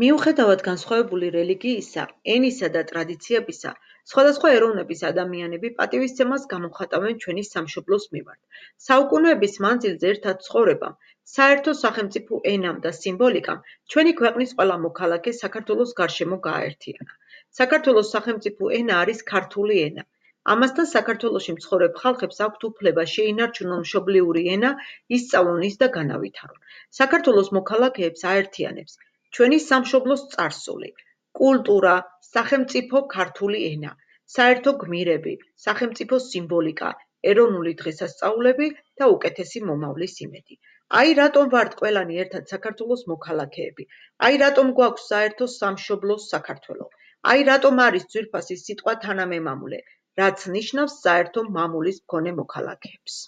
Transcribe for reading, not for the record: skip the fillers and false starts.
მიუხედავად განსხვავებული რელიგიისა, ენისა და ტრადიციებისა, სხვადასხვა ეროვნების ადამიანები პატივისცემას გამოხატავენ ჩვენი სამშობლოს მიმართ. საუკუნეების მანძილზე ერთად ცხოვრებამ, საერთო სახელმწიფო ენამ და სიმბოლიკამ ჩვენი ქვეყნის ყველა მოქალაქე საქართველოს გარშემო გააერთიანა. საქართველოს სახელმწიფო ენა არის ქართული ენა. ამასთან საქართველოში მცხოვრებ ხალხებს აქვთ უფლება შეინარჩუნონ მშობლიური ენა, ისწავლონ ის და განავითარონ. საქართველოს მოქალაქეებს აერთიანებს ჩვენი სამშობლოს წარსული, კულტურა, სახელმწიფო ქართული ენა, საერთო გმირები, სახელმწიფო სიმბოლიკა, ეროვნული დღესასწაულები და უკეთესი მომავლის იმედი. აი რატომ ვართ ყველანი ერთად საქართველოს მოქალაქეები, აი რატომ გვაქვს საერთო სამშობლო საქართველო, აი რატომ არის ძვირფასი სიტყვა თანამემამულე, რაც ნიშნავს საერთო მამულის მქონე მოქალაქეებს.